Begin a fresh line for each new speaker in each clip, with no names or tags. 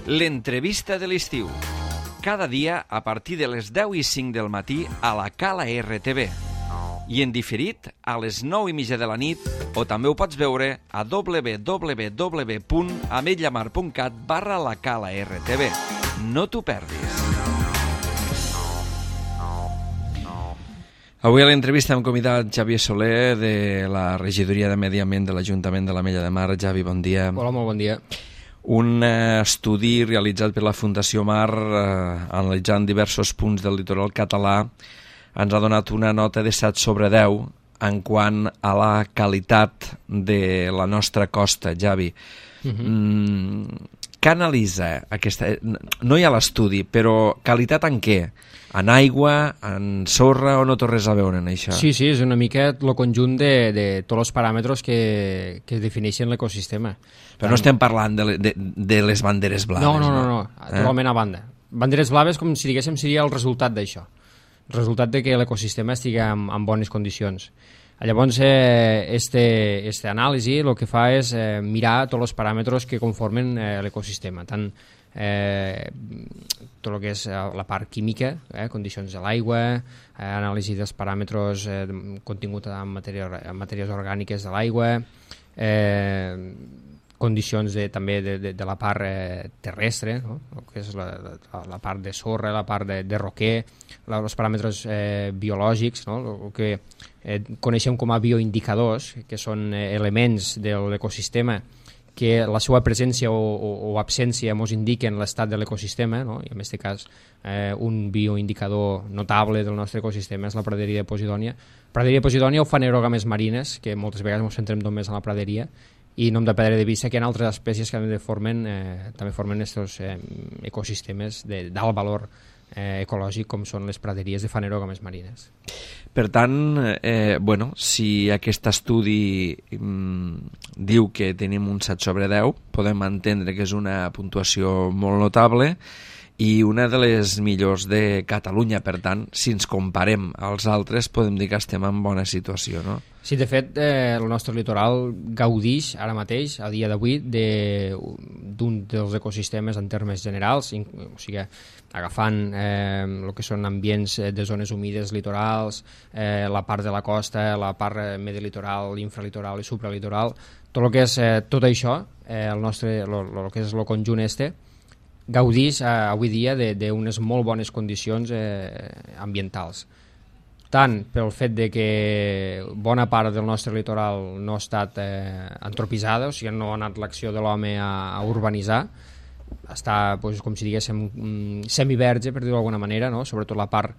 L'entrevista de l'estiu. Cada dia a partir de les 10:05 del matí a la Cala RTV. I en diferit a les 9:30 de la nit, o també ho pots veure a www.ametlamar.cat/la Cala RTV. No t'ho perdis. Avui a l'entrevista hem convidat Xavier Soler de la regidoria de Medi Ambient de l'Ajuntament de l'Ametlla de Mar. Xavi, bon dia.
Hola, molt bon dia.
Un estudi realitzat per la Fundació Mar analitzant diversos punts del litoral català ens ha donat una nota de 7/10 en quant a la qualitat de la nostra costa, Xavi. Què analitza aquesta... No hi ha l'estudi, però qualitat en què? En aigua, en sorra, o no té res a veure en això?
Sí, és una mica el conjunt de tots els paràmetres que defineixen l'ecosistema.
Però no estem parlant de les banderes blaves,
no, totalment a banda. Banderes blaves, com si diguéssim, seria el resultat d'això. El resultat de que l'ecosistema estigui en bones condicions. Llavors, aquesta anàlisi el que fa és mirar tots els paràmetres que conformen l'ecosistema, tant tot el que és la part química, condicions de l'aigua, anàlisi dels paràmetres contingut en matèries orgàniques de l'aigua, condicions també de la part terrestre, no? Que és la part de sorra, la part de roquer, els paràmetres biològics, no? El que coneixem com a bioindicadors, que són elements de l'ecosistema que la seva presència o absència ens indiquen l'estat de l'ecosistema, no? I en aquest cas un bioindicador notable del nostre ecosistema és la praderia de Posidònia. Praderia de Posidònia o fanerògames marines, que moltes vegades ens centrem només en la praderia, i no hem de perdre de vista que hi ha altres espècies que també formen aquests ecosistemes d'alt valor ecològic, com són les praderies de fanerògames marines.
Per tant, si aquest estudi diu que tenim un 7/10, podem entendre que és una puntuació molt notable i una de les millors de Catalunya. Per tant, si ens comparem als altres, podem dir que estem en bona situació, no?
Sí, de fet, el nostre litoral gaudix ara mateix, a dia d'avui, d'un dels ecosistemes en termes generals, o sigui, agafant el que són ambients de zones humides litorals, la part de la costa, la part medilitoral, infralitoral i supralitoral, tot el que és tot això, el que és el conjunt gaudix avui dia d'unes molt bones condicions ambientals, tant pel fet de que bona part del nostre litoral no ha estat antropitzada, o sigui, no ha anat l'acció de l'home a urbanitzar, està, com si diguéssim, semiverge, per dir-ho d'alguna manera, no? Sobretot la part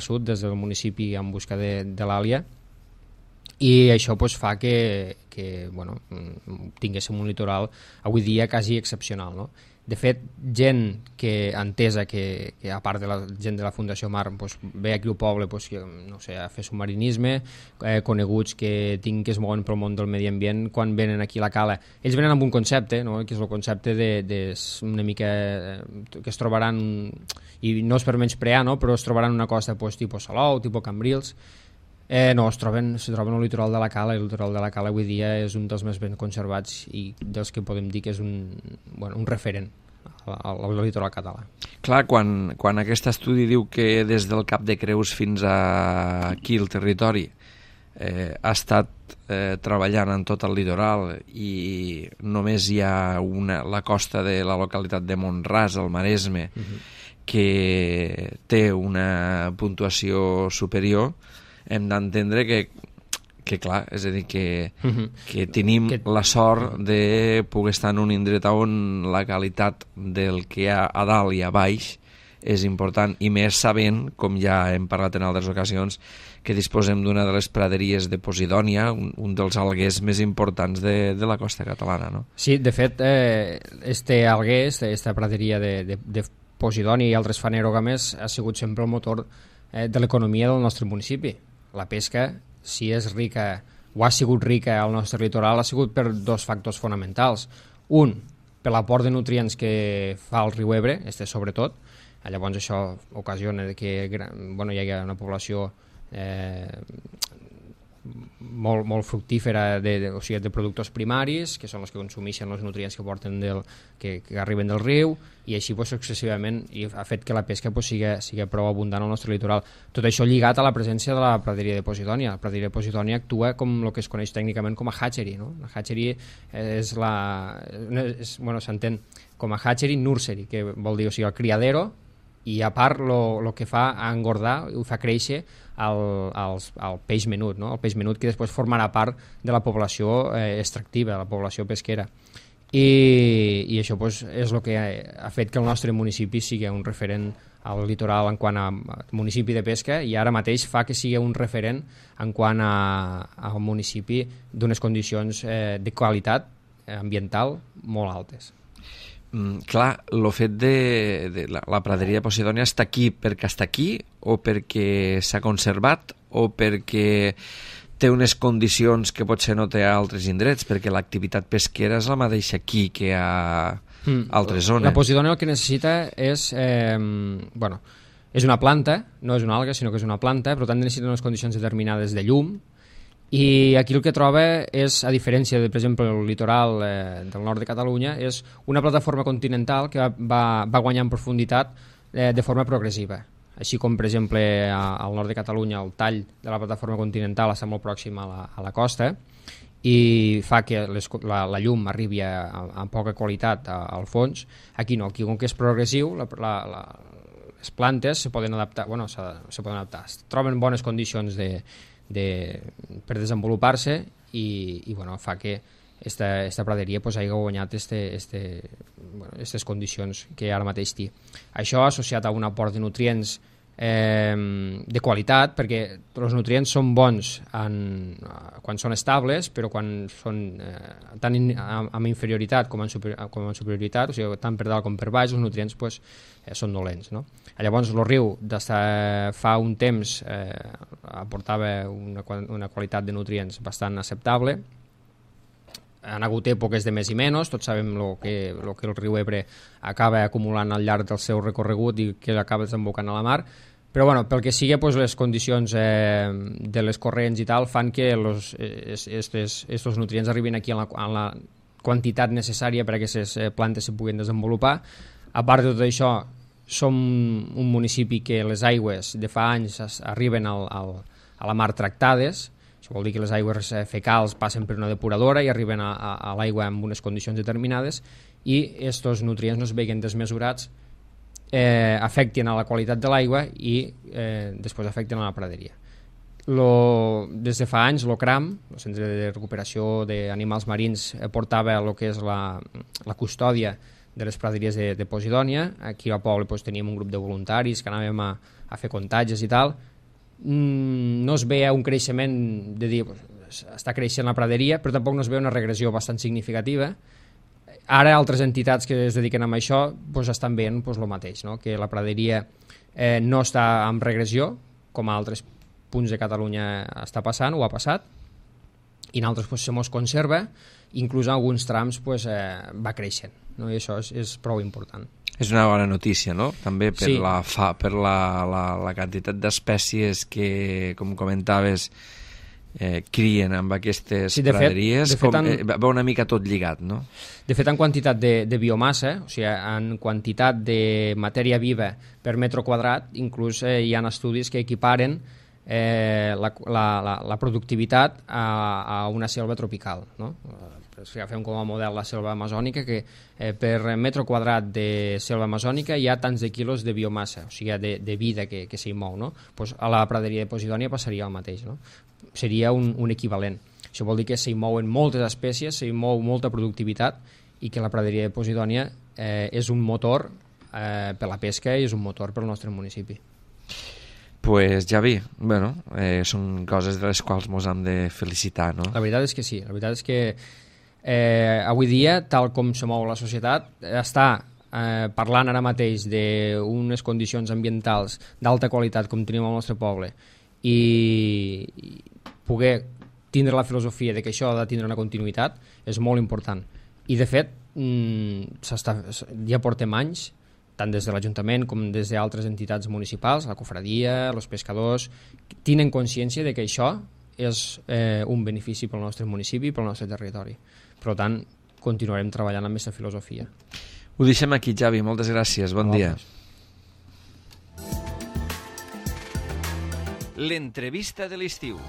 sud, des del municipi en busca de l'Àlia, i això fa que tinguéssim un litoral avui dia quasi excepcional, no? De fet, gent que entesa que a part de la gent de la Fundació Mar ve aquí al poble a fer submarinisme, coneguts que es mouen pel món del medi ambient, quan venen aquí a la cala, ells venen amb un concepte, no? Que és el concepte una mica que es trobaran, i no és per menysprear, no? Però es trobaran una costa tipus Salou, tipus Cambrils. No, es troben al litoral de la Cala, i el litoral de la Cala avui dia és un dels més ben conservats i dels que podem dir que és un referent al litoral català.
Clar, quan aquest estudi diu que des del Cap de Creus fins aquí el territori ha estat treballant en tot el litoral i només hi ha la costa de la localitat de Mont-ras, al Maresme, que té una puntuació superior, hem d'entendre que clar, és a dir, que tenim la sort de poder estar en un indret on la qualitat del que hi ha a dalt i a baix és important, i més sabent, com ja hem parlat en altres ocasions, que disposem d'una de les praderies de Posidònia, un dels alguers més importants de la costa catalana, no?
Sí, de fet, alguer, aquesta praderia de Posidònia i altres fanerògames ha sigut sempre el motor de l'economia del nostre municipi. La pesca, si és rica o ha sigut rica al nostre litoral, ha sigut per dos factors fonamentals. Un, per l'aport de nutrients que fa el riu Ebre, sobretot. Llavors això ocasiona que hi hagi una població molt fructífera o sigui, de productors primaris, que són els que consumeixen els nutrients que porten que arriben del riu, i així pues, successivament, i ha fet que la pesca pues, sigui prou abundant al nostre litoral. Tot això lligat a la presència de la praderia de Posidònia. La praderia de Posidònia actua com el que es coneix tècnicament com a hatchery, no? La hatchery s'entén com a hatchery nursery, que vol dir, o sigui, el criadero, i a part el que fa engordar i fa créixer el peix menut, no? El peix menut que després formarà part de la població extractiva, de la població pesquera. I això pues, és el que ha fet que el nostre municipi sigui un referent al litoral en quant a municipi de pesca, i ara mateix fa que sigui un referent en quant a un municipi d'unes condicions de qualitat ambiental molt altes.
Clar, el fet de la praderia de Posidònia està aquí perquè està aquí, o perquè s'ha conservat, o perquè té unes condicions que potser no té a altres indrets, perquè l'activitat pesquera és la mateixa aquí que a altres zones.
La Posidònia el que necessita és és una planta, no és una alga, sinó que és una planta, per tant necessita unes condicions determinades de llum, i aquí el que troba és, a diferència de, per exemple, el litoral del nord de Catalunya, és una plataforma continental que va guanyar en profunditat de forma progressiva. Així com, per exemple, al nord de Catalunya el tall de la plataforma continental està molt pròxim a la costa i fa que la llum arribi amb poca qualitat al fons. Aquí no, aquí com que és progressiu, les plantes se poden adaptar, es troben bones condicions per desenvolupar-se i fa que esta praderia pues, hagi guanyat aquestes condicions que ara mateix té. Això associat a un aport de nutrients de qualitat, perquè els nutrients són bons quan són estables, però quan són tant amb inferioritat com en superioritat, o sigui, tant per dalt com per baix, els nutrients pues, són dolents, no? Llavors el riu fa un temps aportava una qualitat de nutrients bastant acceptable. Han hagut èpoques de més i menys, tots sabem el que el riu Ebre acaba acumulant al llarg del seu recorregut i que acaba desembocant a la mar, però pel que sigui, les condicions de les corrents i tal fan que estos nutrients arribin aquí en la quantitat necessària perquè aquestes plantes se puguin desenvolupar. A part de tot això, som un municipi que les aigües de fa anys arriben a la mar tractades. Això vol dir que les aigües fecals passen per una depuradora i arriben a l'aigua en unes condicions determinades, i aquests nutrients no es veguen desmesurats, afecten a la qualitat de l'aigua i després afecten a la praderia. Des de fa anys l'OCRAM, el Centre de Recuperació d'Animals Marins, portava el que és la custòdia de les praderies de Posidònia. Aquí al poble teníem un grup de voluntaris que anàvem a fer contatges i tal. No es veia un creixement de dir està creixent la praderia, però tampoc no es veu una regressió bastant significativa. Ara altres entitats que es dediquen a això estan veient el mateix, no? Que la praderia no està en regressió, com a altres punts de Catalunya està passant o ha passat, i en altres se mos conserva, inclús en alguns trams va creixent, no? I això és prou important.
És una bona notícia, no? També per la quantitat d'espècies que, com comentaves, crien amb aquestes praderies. Va una mica tot lligat, no?
De fet, en quantitat de biomassa, o sigui, en quantitat de matèria viva per metre quadrat, inclús hi ha estudis que equiparen la productivitat a una selva tropical, no? Si agafem com a model la selva amazònica, que per metre quadrat de selva amazònica hi ha tants de quilos de biomassa, o sigui, de vida que s'hi mou, no? A la praderia de Posidònia passaria el mateix, no? Seria un equivalent. Això vol dir que s'hi mouen moltes espècies, s'hi mou molta productivitat, i que la praderia de Posidònia és un motor per la pesca i és un motor pel nostre municipi.
Pues Javi, són coses de les quals ens hem de felicitar, no?
La veritat és que sí, la veritat és que avui dia, tal com se mou la societat, està parlant ara mateix d'unes condicions ambientals d'alta qualitat com tenim al nostre poble, i poder tindre la filosofia de que això ha de tindre una continuïtat és molt important. I de fet ja portem anys, tant des de l'Ajuntament com des d'altres entitats municipals, la cofradia, els pescadors, tenen consciència de que això és un benefici pel nostre municipi i pel nostre territori. Per tant, continuarem treballant amb aquesta filosofia.
Ho deixem aquí, Javi. Moltes gràcies. Bon dia. L'entrevista de l'estiu.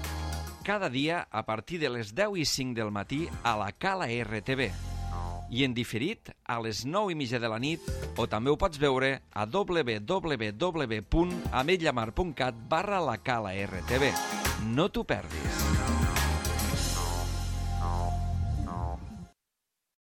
Cada dia a partir de les 10:05 del matí a la Cala RTV. I en diferit a les 9:30 de la nit, o també ho pots veure a www.ametlllamar.cat/la Cala RTV. No t'ho perdis.